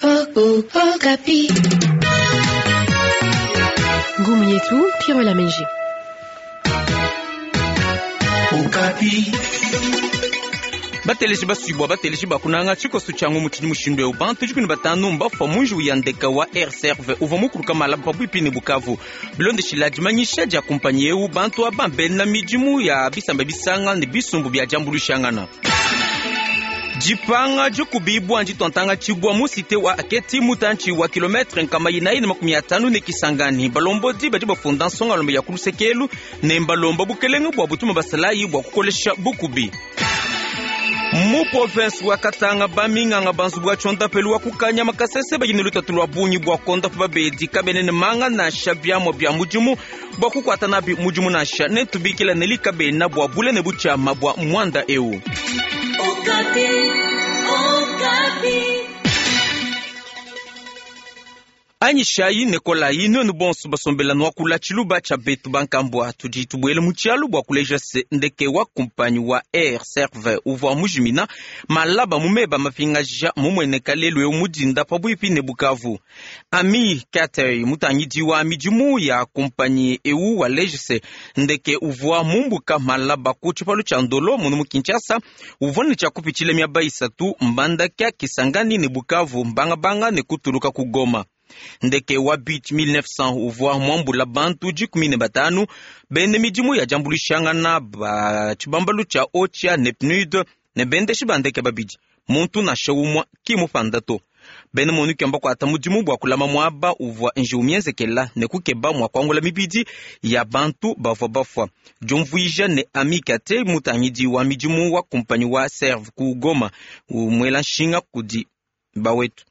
Okapi. Ngumu yetu Pierre Lamenji. Okapi. Bateleji basubwa bateleji bakunanga tshikoso tshia ngumu tshidi mushindu eu bantu 15 mbafua mu njiwu ya ndeka wa Air Serve uvua mukuluka malaba pabuipi ne Bukavu. Bilondeshila dimanyisha dia kumpanyi eu, bantu aba mbena midimu ya bisamba bisanga ne bisumbu bia diambuluishangana. Dipanga dikubibua ndituantanga tshibua mu cité wa Aketi mutantshi wa kilometre 450 ne Kisangani. Balombodi badi bafunda nsongalombe ya kulusekelu ne mbalomba bukelenge bua butuma basalayi bua kukolesha bukubi. Mu province wa Katanga baminganga banzu bwa tshondapelu wa kukanyama kasese badi ne lutatu lua bungi bua kondapa babedi kabene ne manga nansha biamua bia mudimu bua kukuata nabi mudimu nansha ne tubikila ne likabena bua bule ne butshiama bua muanda eu. Okapi. Okapi. Anyishayi ne kolayi nuenu bonso basombela nuakula tshiluba tshia betu bankambua tudi tubuele mu tshialu bua kuleja se ndeke wa kumpanyi wa Air Serve uvua mujimina malaba mu meba mapingaja mumueneka lelu eu mudinda pabuipi ne Bukavu. Ami Katey mutangidi wa midimu ya kumpanyi eu waleja se ndeke uvua mumbuka malaba ku tshipalu tshia Ndolo munu mu Kinshasa uvua ne tshia kupitshila miaba isatu Mbandaka, Kisangani ne Bukavu mbangabanga ne kutuluka ku Goma. Ndeke wa Beech 1900 uvua muambula bantu 15 bene midimu ya diambuluishangana ba tshibambalu tshia OCHA ne PNUD ne bendeshi ba ndeke babidi muntu nansha umue ki mupanda to. Bena MONUC mbakuata mudimu bua kulama muaba uvua njiwu mienzekela ne kukeba mua kuangula mibidi ya bantu bavua bafua. Diumvuija ne Ami Kate mutangidi wa midimu wa kumpanyi wa Serve ku Goma umuela nshinga kudi bawetu.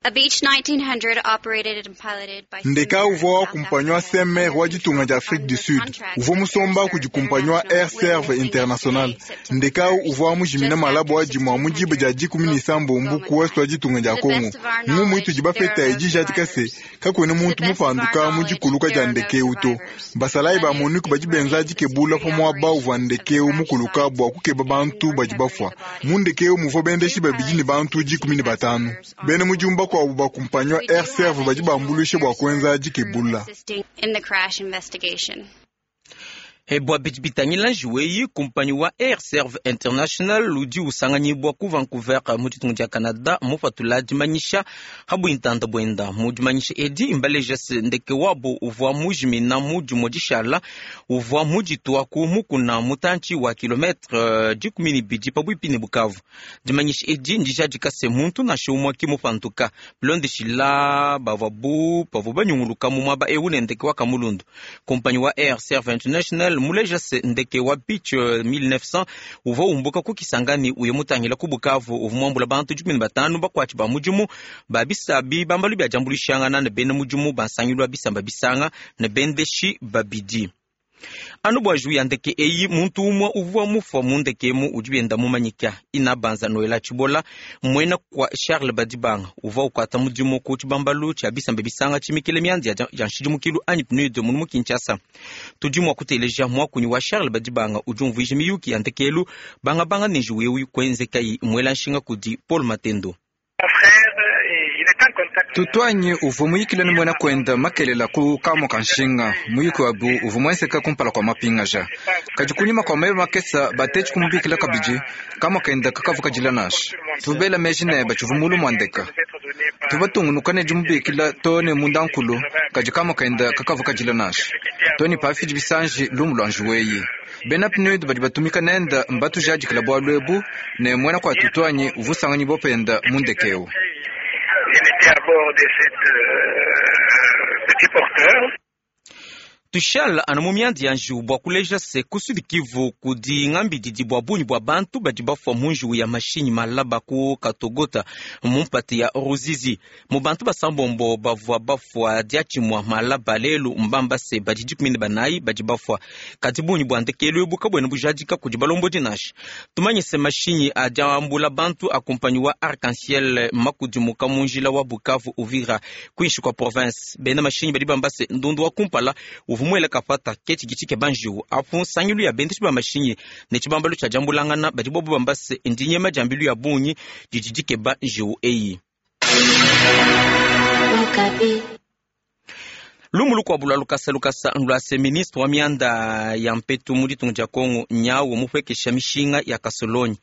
A Beech 1900 operated and piloted by Ndeka uvua wa kumpanyi wa CMR wa ditunga dia Afrique du Sud uvua musomba kudi kumpanyi wa Air Serve International. Ndeka uvua mujimina malabo wa dimua mu diba dia 17 ku ouest wa ditunga dia Congo. Ngumu itudi bapeta idi ijadika se kakuena muntu mupanduka mu dikuluka dia ndeke eu to. Basalayi ba MONUC badi benza dikebula pa muaba uvua ndeke eu mukuluka bua kukeba bantu badi bafua. Mu ndeke eu muvua bendeshi babidi ne bantu 15. Bena mudimu bakuabu ba kumpanyi wa Air Serve badi bambuluishe bua kuenza dikebula. In the crash investigation. Bua bidi bitangila njiwu eyi, kumpanyi wa Air Serve International udi usanganyibua ku Vancouver mu ditunga dia Canada mupatula dimanyisha ha buintanda buenda. Mu dimanyisha edi mbaleja se ndeke wabo uvua mujimina mu dimue dishala uvua muditua ku mukuna mutantshi wa kilometre 12 pabuipi ne Bukavu. Dimanyisha edi ndijadika se muntu nansha umue ki mupanduka bilondeshila bavua bu bavua banyunguluka mu muaba eu ne ndeke wa kamulundu. Kumpanyi wa Air Serve International muleja se ndeke wa Beech 1900 uvua umbuka ku Kisangani uye mutangila ku Bukavu uvua muambula bantu 15 bakuatshi ba mudimu ba bisabi bambalu bia diambuluishangana ne bena mudimu ba nsangilu wa bisamba bisanga ne bendeshi babidi. Anu bua njiwu ya ndeke eyi muntu umue uvua mufua mu ndeke emu udi wenda mumanyika ina banza Noela Tshibola muena kwa Charles Badibanga uvua ukuata mudimu ku tshibambalu tshia bisamba bisanga tshimikile mianzi ya nshidimukilu anyi PNUD munu mu Kinshasa. Tudi mua kuteleja muakunyi wa Charles Badibanga udi umvuija miyuki ya ndekelu bangabanga ne njiwu eu kuenzekayi muela nshinga kudi Paul Matendo. Tutuanyi uvua muyikile ne muena kuenda makelela ku kamua ka nshinga muyiki wabu uvua muenzeka kumpala kua mapingaja. Kadi kunyima kua meba makesa batetshi kumubikila kabidi kamua kenda kakavua kadila nansha. Tuvua bela meji ne batshivua mulu mua ndeka. Tuvua batungunuka ne dimubikila to ne mundankulu kadi kamua kenda kakavua kadila nansha. To ne pafidi bisanji lumu lua njiwu eyi. Bena PNUD badi batumika nenda mbatujadikila bualu ebu ne muena kua tutuanyi uvua usanganyibua penda mu ndeke eu. Il était à bord de cette petit porteur. Tushala anu mu mianda ya njiwu bua kuleja se ku Sud Kivu kudi ngambididi bua bungi bua bantu badi bafua mu njiwu ya mashinyi malaba ku Katogota mu mpata ya Ruzizi. Mu bantu basambombo bavua bafua diatshimua malaba lelu mbamba se badi 14 badi bafua. Kadi bungi bua ndekelu ebu kabuena bujadika kudi balombodi nansha. Tumanye se mashinyi adi ambula bantu a kumpanyi wa Arc-en-Ciel makudimuka mu njila wa Bukavu Uvira kuinshi kua province. Bena mashinyi badi bamba se ndundu wa kumpala uvua muele kapata ke tshidi tshikeba njiwu apu nsangilu ya bendeshi ba mashinyi ne tshibambalu tshia diambulangana badi bobo bamba se ndinyema dia mbilu ya bungi didi dikeba njiwu eyi. Lumu lukuabu lua lukasa lukasa lua ministre wa mianda ya mpetu mu ditunga dia Kongo nyawu mupwekesha mishinga ya kasolonyi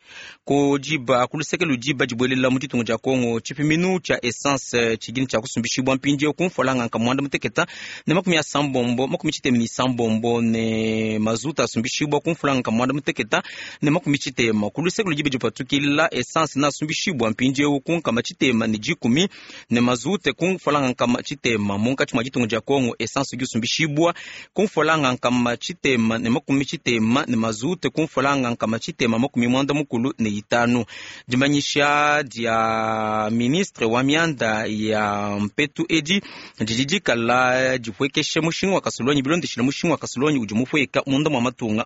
ku diba ku luseke ludiba dibuelela mu ditunga dia Kongo tshipiminu tshia essence tshidini tshia kusumbishibwa mpindieu ku mfualanga nka mwanda muteketa ne 76 96 ne mazuta asumbishibwa ku mfualanga nka mwanda muteketa ne 90 ku luseke ludiba dipatukila essence na asumbishibwa mpindieu ku nkama tshitema ne 10 ne mazute ku mfualanga nkama tshitema munkatshi mwa ditunga dia Kongo essence gusumbishibwa kumfolanga nkama tshitema ne 90 ne mazute kumfolanga nkama tshitema 95. Dimanyisha dia ministre wa mianda ya mpetu edi didi dikala dipwekeshe mushinga wa kasolonyi bilondeshile mushinga wa kasolonyi udi mupweka munda mwa matunga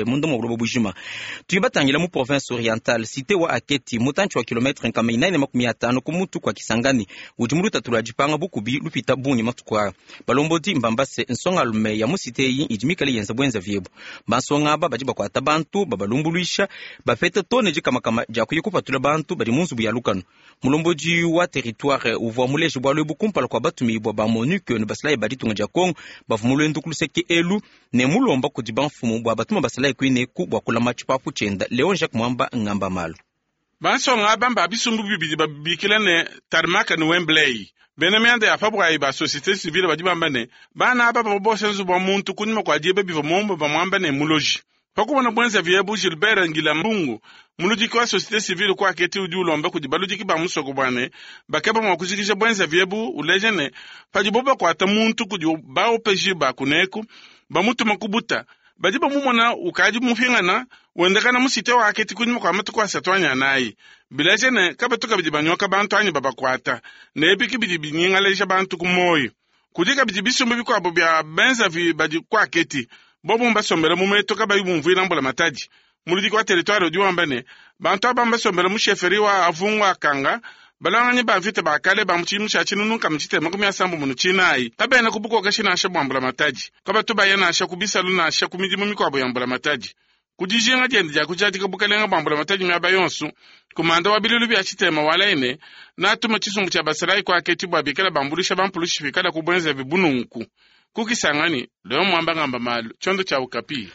munda mwa buloba bujima. Tuyibatangila mu province orientale cité wa Aketi mutantshi wa kilometre nkama 450 ku mutu kwa Kisangani udi mu lutatu lwa dipanga bukubi lupita bungi matuku aya. Balombodi mbambase nsongalume ya musiteyi idi mikale yenza bwenza vyebu bansonga aba badi bakwata bantu babalumbuluisha bapeta tone dikamakama dia kuya kupatula bantu badi mu nzubu ya lukano. Mulombodi wa territoire uvua muleje bwalu ebu kumpala kua batumibua ba MONUC ne basalayi ba ditunga dia Kongo bavua mu lwendu ku luseke elu ne mulomba kudi bamfumu bua batuma basalayi kuineku bua kulama tshipapu tshienda. Leon Jacques Mwamba ngamba malu. Bansonga aba mba bisumbu bibidi babikila ne Tarmaka ne Wembley. Bena mianda ya pabwayi ba société civile badi bamba ne bana aba babosha nzubu wa muntu kunyima kua dieba bivua mombo bamwamba ne muloji. Pakubona bwenza vyebu Gilbert Ngila Mbungu muludiki wa société civile kwa Aketi udi ulomba kudi baludiki ba musoko bwane bakeba mwa kujikija bwenza vyebu uleje ne padibo bakwata muntu kudi baopeji ba kuneku bamutuma kubuta badi bamumona ukadi mupingana wendekana musite wa Aketi kunyima kwa matuku asatu anyanayi bileje ne kabatu kabidi banyoka bantu anyi babakwata nebiki bidi binyingaleja bantu ku moyo kudi kabidi bisumbu bikuabo bya benzavi badi kwa Aketi bobo mbasombela mu meto kabayi bumvuila mbula matadi. Muludiki wa territoire udi wamba ne bantu aba mbasombela mu sheferi wa avungu akanga balwanganyi ba mvita bakale ba mutshimu tshia tshinunu nkama tshitema 94 kabena kubukokeshi nansha bua mbula matadi kabatu baya nansha ku bisalu nansha ku midimu mikuabo ya mbula matadi. Kudijinga diende dia kujadika bukalenga bua mbula matadi miaba yonso kumanda wa bilulu bya tshitema walaine natuma tshisumbu tshia basalayi kwa Aketi bua bikala bambulisha bampulushi bikala kubwenza bibununku. Kukisangani leo Mwamba ngamba malu chondo cha Okapi.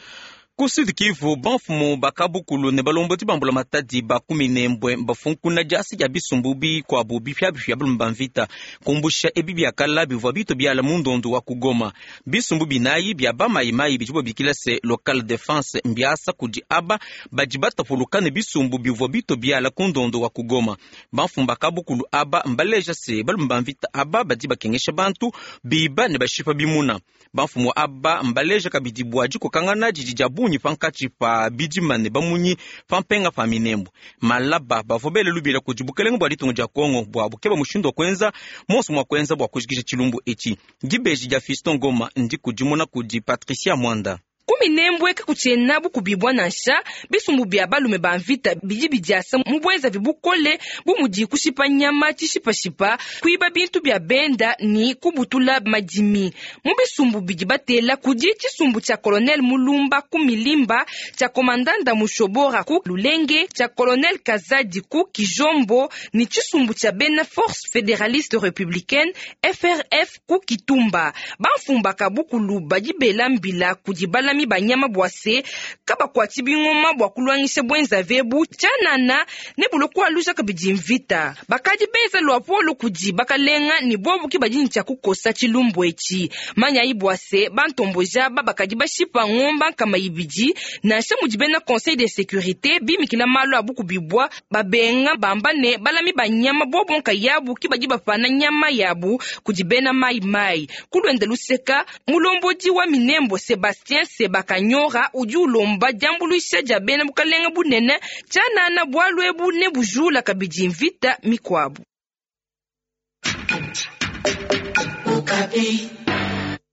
Ku Sud Kivu bamfumu bakabukulu ne balombodi bambula matadi ba 14 bafunkuna diasi dia bisumbu bikuabu bipyabipya balume mvita kumbusha ebi biakala bivua bito biala mu ndondo wa kugoma. Bisumbu binayi bia bamayimayi bidi bobikila se local defense mbiasa kudi aba badi batapuluka ne bisumbu bivua bito biala ku ndondo wa kugoma. Bamfumu bakabukulu aba mbaleja se balume mvita aba badi bakengesha bantu biba ne bashipa bimuna. Bamfumu aba mbaleja kabidi bua dikokangana didi dia bungi pankatshi pa bidima ne bamunyi pampenga pa minembo. Malaba bavua bele lubila kudi bukelenge bua ditunga dia Kongo bua bukeba mushindu wa kuenza monso mwa kuenza bua kujikija tshilumbu etshi. Dibeji dia Fiston Ngoma ndikudimuna kudi Patricia Mwanda. Kuminembwe kakutshiena bukubibwa nansha bisumbu bya balume ba mvita bidi bidiasa mu bwenza bibukole bumudi kushipa nyama tshishipashipa kuiba bintu bya benda ni kubutula madimi. Mu bisumbu bidi batela kudi tshisumbu tshia colonel Mulumba ku Milimba, tshia komandanda Mushobora ku Lulenge, tshia colonel Kazadi ku Kijombo ni tshisumbu tshia bena Force Fédéraliste Républicaine FRF ku Kitumba. Bamfumba kabukulu badi bela mbila kudi balami banyama bwase kabakwati bingoma bwa kulwangisha bwenza vebu tshanana ne buloko aluja kabidi mvita. Bakadi benza lwapolo kudi bakalenga ni bobuki badi ntya kukosa tshilumbu etshi. Manyayi bwase bantomboja babakadi bashipa ngomba nkama ibidi nansha mudi bena conseil de sécurité bimikila malu abukubibwa babenga bamba ne balami banyama bobonka yabu ki badi bapana nyama yabu kudi bena mai mai. Kulwenda luseka mulombodi wa minembo Sebastien Sebakanyora udi ulomba diambuluisha dia bena bukalenga bunene tshanana bwalu ebu ne bujula kabidi mvita mikwabu.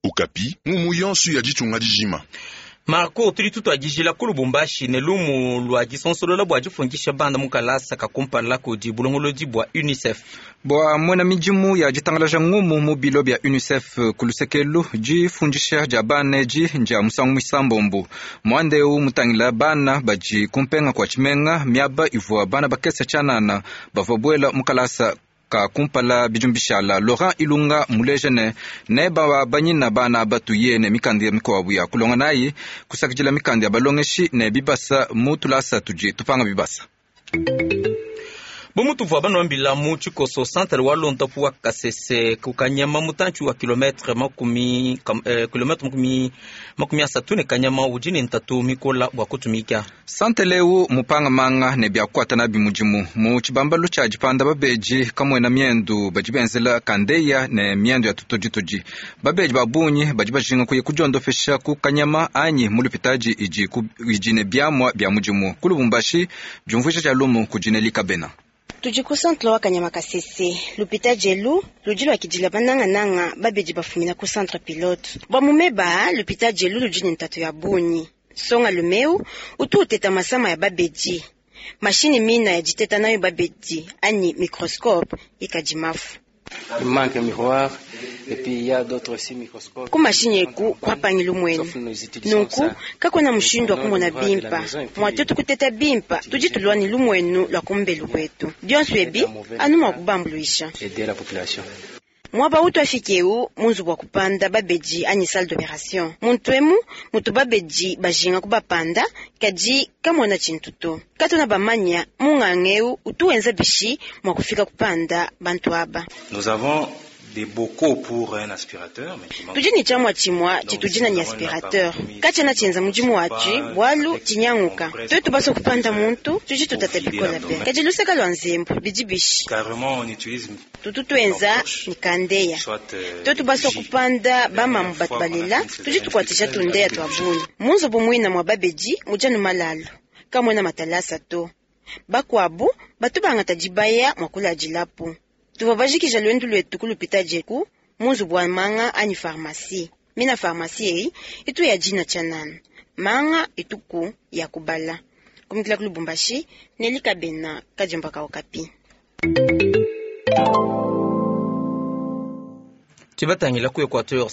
Okapi mumu yonso ya ditunga dijima. Marco tudi tutwadijila ku Lubumbashi ne lumu lwa disonsolola bua difundisha banda mu kalasa kakumpala kudi bulongolodi bua UNICEF. Bua mwena midimu ya ditangalaja ngumu mu bilo bya UNICEF ku lusekelu difundisha dia bana edi ndia musangu misambombo. Mwanda eu mutangila bana badi kumpenga kwa tshimenga miaba ivua bana bakesa tshanana bavua buela mu kalasa Ka kumpala bidimu bishala, Laurent Ilunga muleja ne nebabanyina bana batuye ne mikanda mikuabu ya kulonga nayi, kusakidila mikanda ya balongeshi ne bibasa mu tulasa tudi tupanga bibasa. Bumutuvua banwambila mu tshikoso centre wa londapu wa Kasese kukanyama mutantshi wa kilometre 30 ne kanyama udi ne ntatu mikola bua kutumika. Santele eu mupanga manga ne biakuata nabi mudimu mu tshibambalu tshia dipanda babeji kamwena miendu badi benzela kandeya ne miendu ya tutoditodi. Babeji ba bungi badi bajinga kuya kudiondopesha ku kanyama anyi mu lupitadi idi ne biamua bia mudimu. Ku Lubumbashi diumvuija dia lumu kudi Nelly Kabena. Tudi ku centre wa Kanyama Kasese lupita jelu ludi lwakidila banangananga babedi bafumina ku centre pilote bwa mumeba lupita jelu ludi ne ntatu ya bunyi songa lumeu utu uteta masama ya babedi mashini mina ya diteta nayo babedi anyi microscope ikadi mafu. Il manque un miroir et puis il y a d'autres aussi microscopes. Ku mashini eku kuapangila mwenu nunku kakwena mushindu wa kumona bimpa mwatutu kuteta bimpa tudi tulwa ni lumwenu lwa kumbelu kwetu bionso ebi anu mwa kubambuluisha. Aider la population. Mwaba utu afikeu munzu wa kupanda babedi anyi salle d'opération muntu emu mutu babedi bajinga kubapanda kadi kamona tshintu to katona bamanya munganga eu utu wenza bishi mwa kufika kupanda bantu aba. Nous avons des bocaux pour un aspirateur, mais qui manque. Tudi ni tshamua tshimua tshitudi ni aspirateur katshiena tshienza mudimu watshi bwalu tshinyanguka twetu baso kupanda muntu tudi tutata bikola be kadi luseka lwa nzembu bidi bishi. Carrément, on utilise tutu twenza ni kandeya soit twetu baso kupanda bamamu batu balela tudi tukwatisha tundeya twa bunyi munzubu mwina mwa babedi mujanu malalu kamwena matalasa to bakwabu batu bangata dibaya mwa kuladilapu tuvua bajikija lwendu lwetu kulupita djeku munzubu wa manga anyi pharmacie mina pharmacie eyi itu ya dina tshianana manga ituku ya kubala kumikila ku Lubumbashi Nelly Kabena kadiomba ka Okapi. Tibatangila ku Equateur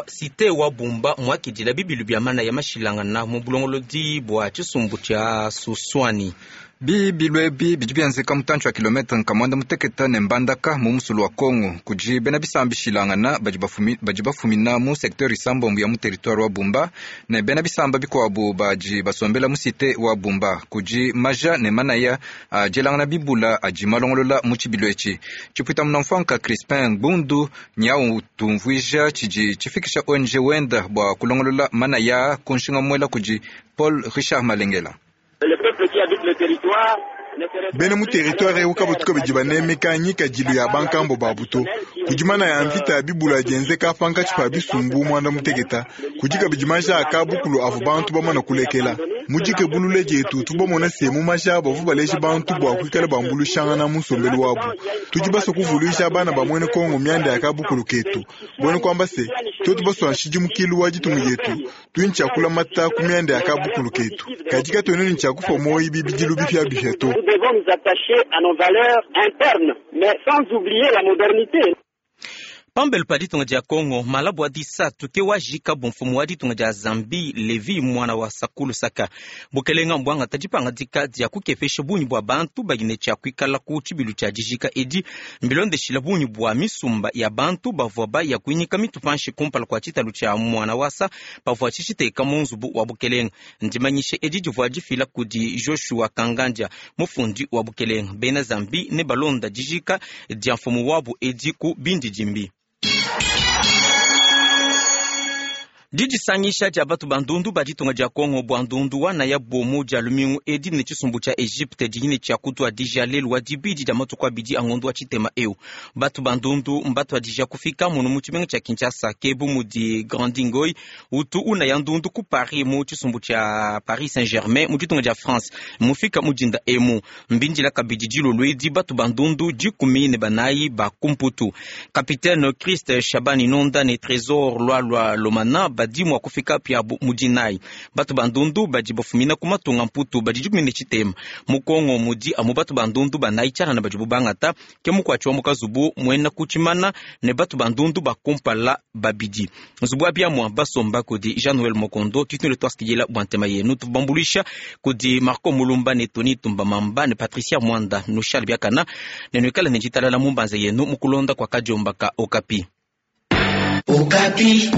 cité wa Bumba mwakidila bibilu bia mana ya mashilangana mu bulongolodi bua tshisumbu tshia Suswani. Bibilu ebi bidi bienzeka mutantshi wa kilometre nkamwanda muteketa ne mbandaka mu musulu wa Kongo kudi bena bisamba bishilangana badi bafumina mu secteur isambombo ya mu territoire wa Bumba ne bena bisamba bikuabu badi basombela mu cité wa Bumba kudi maja ne manaya adielangana bibula adi malongolola mu tshibilu etshi. Tshipuita munamfuanka Crispin Bundu nyau tumvuija tshidi tshifikisha ONG wenda bua kulongolola manaya ku nshinga muela kudi Paul Richard Malengela. Bena mu territoire eu kabatuka badi banemeka nyikadilu ya bankambo babu to kudi mana ya mvita ya bibula dienzeka pankatshi pa bisumbu mwanda muteketa kudi kabidi maja akabukulu avu bantu bamana kulekela mudike bulule dietu tubamona se mu maja bavu baleji bantu bua kuikala bambuluishangana mu nsombelu wabu tudi basua kuvuluisha bana ba mwene Kongo mianda ya kabukulu ketu bwene kuamba se twetu basua nshidimukilu wa ditunga dietu tudi ntshiakulamata ku mianda ya kabukulu ketu kadi katuena ne tshiakufa moyi bibidilu bipiabipia to. Nous devons nous attacher à nos valeurs internes, mais sans oublier la modernité. Pambelu pa ditunga dia Kongo malabu disatu ke wajika bumfumu wa ditunga dia Zambie Levi mwana wa Sakulu Saka bukelenga mbwangata dipangadika dia kukepesha bunyi bua bantu badi ne tshia kuikala ku tshibilu tshia dijika edi mbilondeshila bunyi bua misumba ya bantu bavua baya kuinyika mitu panshi kumpala kua tshitalu tshia mwana wasa pavua tshitshiteka mu nzubu wa bukelenga. Ndimanyishe edi divua difila kudi Joshua Kanganja mufundi wa bukelenga. Bena Zambie ne balonda dijika dia mfumu wabu edi ku bindidimbi. Didisangisha dia batu bandundu ba ditunga dia Kongo bua ndundu wana ya bomu dia lumingu edi ne tshisumbu tshia Egypte dihine tshia kutua dija lelu wa dibidi dia matuku abidi a ngondu wa tshitema eu. Batu bandundu mbatu adija kufika munu mu tshimenga tshia Kinshasa kebu mudi Grandingoi utu una ya ndundu ku Paris mu tshisumbu tshia Paris Saint-Germain mu ditunga dia France mufika mudinda emu mbindila kabidi dilolo edi batu bandundu 14 ba kumputu. Capitaine Christ Shabani Nonda ne Trésor Lwalwa Lomana. badi mua kufika piabu mu dinayi. Batu ba ndundu badi bafumina ku matunga Mputu badi 13. Mu Kongo mudi amu batu ba ndundu banayi tshianana badibu bangata, ke mukuatshi wa mu kazubu muena ku tshimana ne batu ba ndundu ba kumpala babidi. Nzubu wa biamua basomba kudi Jean Noel Mokondo. Tudi tunuela tuasakidila bua ntema yenu. Tuvua bambuluisha kudi Marco Mulumba ne Tony Tumba Mamba ne Patricia Mwanda. Nushale biakana ne nuikale ne ditalala mu mbanza yenu mu kulonda kua kadiomba ka Okapi. Okapi.